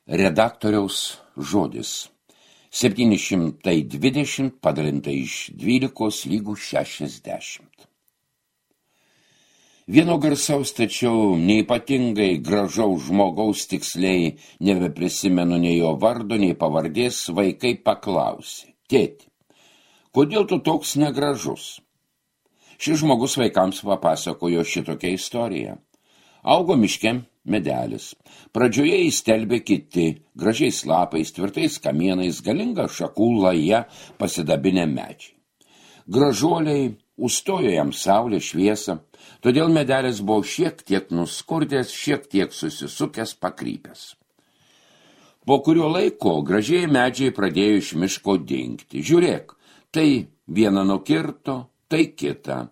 Redaktoriaus žodis. 720 padalinta iš 12 lygų 60. Vieno garsaus, tačiau neypatingai gražaus žmogaus tiksliai nebeprisimenu nei jo vardo, nei pavardės, vaikai paklausė: tėti, kodėl tu toks negražus? Šis žmogus vaikams papasakojo šitokią istoriją. Augo miške medelis. Pradžioje įstelbė kiti, gražiais lapais, tvirtais kamienais, galinga šakų laja pasidabinę medžiai. Gražuoliai užstojo jam saulę šviesą, todėl medelis buvo šiek tiek nuskurdęs, šiek tiek susisukęs, pakrypęs. Po kurio laiko gražiai medžiai pradėjo iš miško dingti. Žiūrėk, tai vieną nukirto, tai kitą.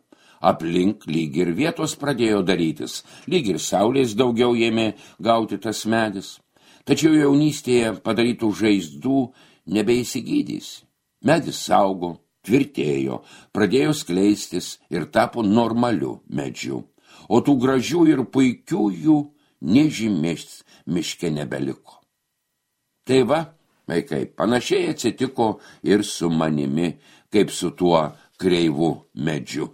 Aplink lyg ir vietos pradėjo darytis, lyg ir saulės daugiau ėmė gauti tas medis. Tačiau jaunystėje padarytų žaizdų nebeįsigydys. Medis saugo, tvirtėjo, pradėjo skleistis ir tapo normaliu medžiu. O tų gražių ir puikiųjų nežymės miške nebeliko. Tai va, vaikai, panašiai atsitiko ir su manimi, kaip su tuo kreivu medžiu.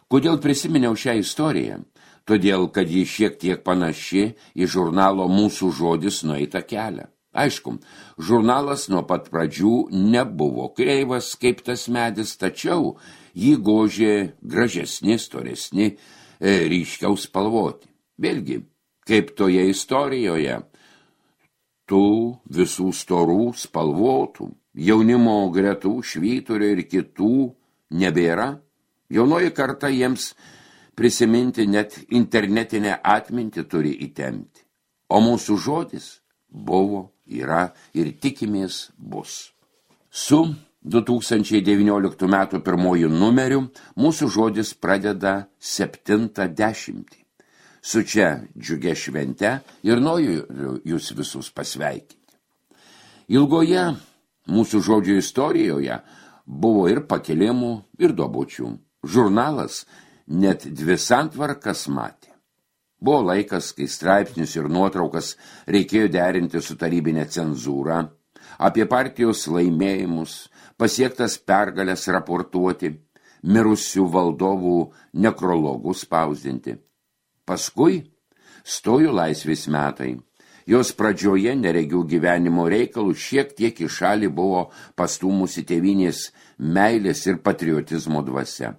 Kodėl prisiminiau šią istoriją? Todėl, kad ji šiek tiek panaši į žurnalo Mūsų žodis nueitą kelią. Aišku, žurnalas nuo pat pradžių nebuvo kreivas kaip tas medis, tačiau jį gožė gražesni, storesni, ryškiau spalvoti. Vėlgi, kaip toje istorijoje, tų visų storų, spalvotų, jaunimo gretų, švyturio ir kitų nebėra. Jaunoji karta jiems prisiminti net internetinę atmintį turi įtempti. O Mūsų žodis buvo, yra ir tikimės bus. Su 2019 metų pirmojų numeriu Mūsų žodis pradeda 70. Su čia džiugia švente ir noriu jūs visus pasveikinti. Ilgoje Mūsų žodžio istorijoje buvo ir pakilimų, ir duobučių. Žurnalas net 2 santvarkas matė. Buvo laikas, kai straipsnius ir nuotraukas reikėjo derinti su tarybinė cenzūra, apie partijos laimėjimus, pasiektas pergalės raportuoti, mirusių valdovų nekrologus spausdinti. Paskui stojo laisvės metai. Jos pradžioje neregių gyvenimo reikalų šiek tiek į šalį buvo pastūmusi tėvynės meilės ir patriotizmo dvasia.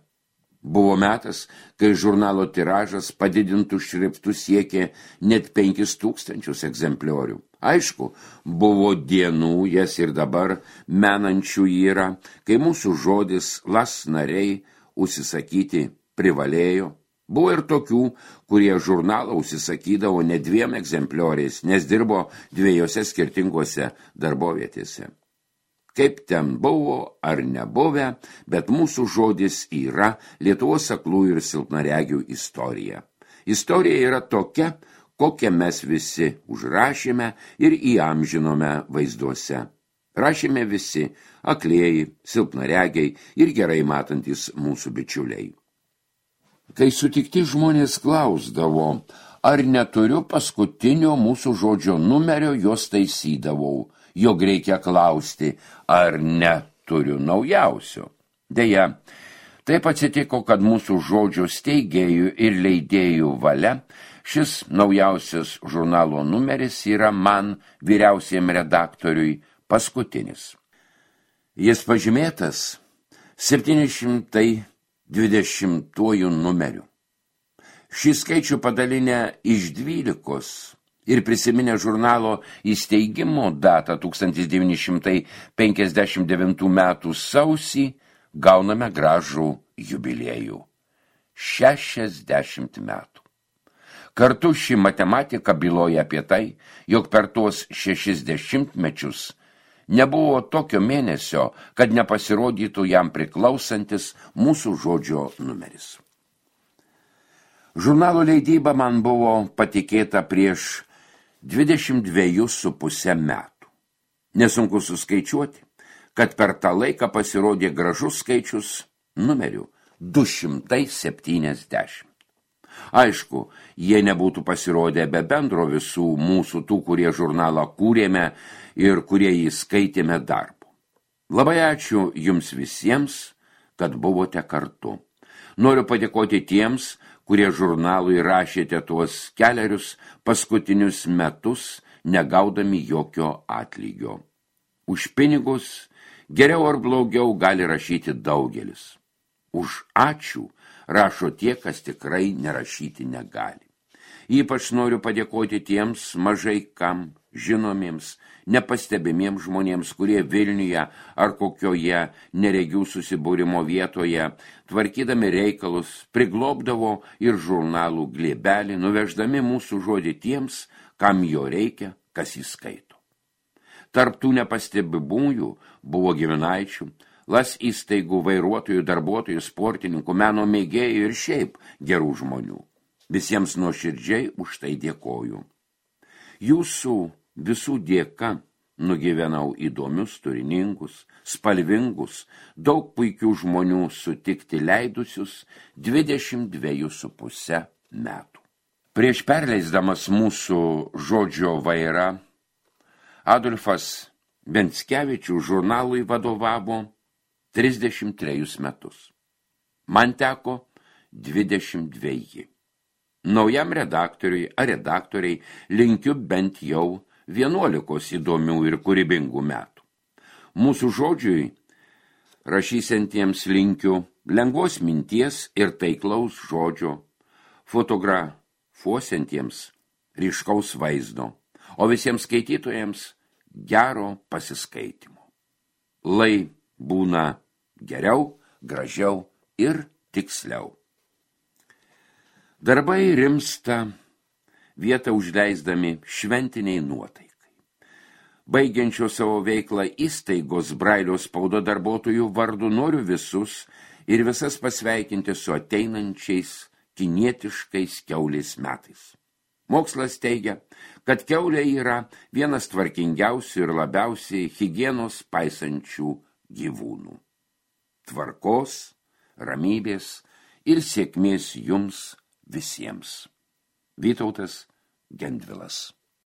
Buvo metas, kai žurnalo tiražas padidintų šriftų siekė net 5000 egzempliorių. Aišku, buvo dienų, jas ir dabar menančių yra, kai Mūsų žodis las nariai užsisakyti privalėjo. Buvo ir tokių, kurie žurnalą užsisakydavo ne 2 egzemplioriais, nes dirbo 2 skirtingose darbovietėse. Kaip ten buvo ar nebuvę, bet Mūsų žodis yra Lietuvos aklųjų ir silpnaregių istorija. Istorija yra tokia, kokią mes visi užrašėme ir įamžinome vaizduose. Rašėme visi aklieji, silpnaregiai ir gerai matantis mūsų bičiuliai. Kai sutikti žmonės klausdavo, ar neturiu paskutinio Mūsų žodžio numerio, jos taisydavau, jog reikia klausti, ar neturiu naujausio. Deja, taip atsitiko, kad Mūsų žodžio steigėjų ir leidėjų valia šis naujausias žurnalo numeris yra man, vyriausiam redaktoriui, paskutinis. Jis pažymėtas 720 numeriu. Šį skaičių padalinę iš 12 ir prisiminę žurnalo įsteigimo datą 1959 metų sausį, gauname gražų jubiliejų – 60 metų. Kartu ši matematika byloja apie tai, jog per tuos 60 mečius nebuvo tokio mėnesio, kad nepasirodytų jam priklausantis Mūsų žodžio numeris. Žurnalo leidyba man buvo patikėta prieš 22,5 metų. Nesunku suskaičiuoti, kad per tą laiką pasirodė gražus skaičius numerių 270. Aišku, jie nebūtų pasirodę be bendro visų mūsų tų, kurie žurnalą kūrėme ir kurie jį skaitėme darbo. Labai ačiū jums visiems, kad buvote kartu. Noriu padėkoti tiems, kurie žurnalui rašėte tuos kelerius paskutinius metus, negaudami jokio atlygio. Už pinigus geriau ar blogiau gali rašyti daugelis. Už ačiū rašo tie, kas tikrai nerašyti negali. Ypač noriu padėkoti tiems mažai kam žinomiems, nepastebimiems žmonėms, kurie Vilniuje ar kokioje neregių susibūrimo vietoje, tvarkydami reikalus, priglobdavo ir žurnalų glėbelį, nuveždami mūsų žodį tiems, kam jo reikia, kas jį skaito. Tarp tų nepastebimųjų buvo giminaičių, las įstaigų, vairuotojų, darbuotojų, sportininkų, meno mėgėjų ir šiaip gerų žmonių. Visiems nuoširdžiai už tai dėkoju. Jūsų visų dėka nugyvenau įdomius, turiningus, spalvingus, daug puikių žmonių sutikti leidusius 22,5 metų. Prieš perleisdamas mūsų žodžio vairą, Adolfas Venckievičius žurnalui vadovavo 33 metus. Man teko 22. Naujam redaktoriui ar redaktoriai linkiu bent jau 11 įdomių ir kūrybingų metų. Mūsų žodžiui rašysantiems linkiu lengvos minties ir taiklaus žodžio, fotografuosiantiems ryškaus vaizdo, o visiems skaitytojams gero pasiskaitimo. Lai būna geriau, gražiau ir tiksliau. Darbai rimsta, vietą užleisdami šventiniai nuotaikai. Baigiančio savo veiklą įstaigos Brailio spaudo darbuotojų vardu noriu visus ir visas pasveikinti su ateinančiais kinietiškais kiaulės metais. Mokslas teigia, kad kiaulė yra vienas tvarkingiausių ir labiausiai higienos paisančių gyvūnų. Tvarkos, ramybės ir sėkmės jums visiems. Vytautas Gendvilas.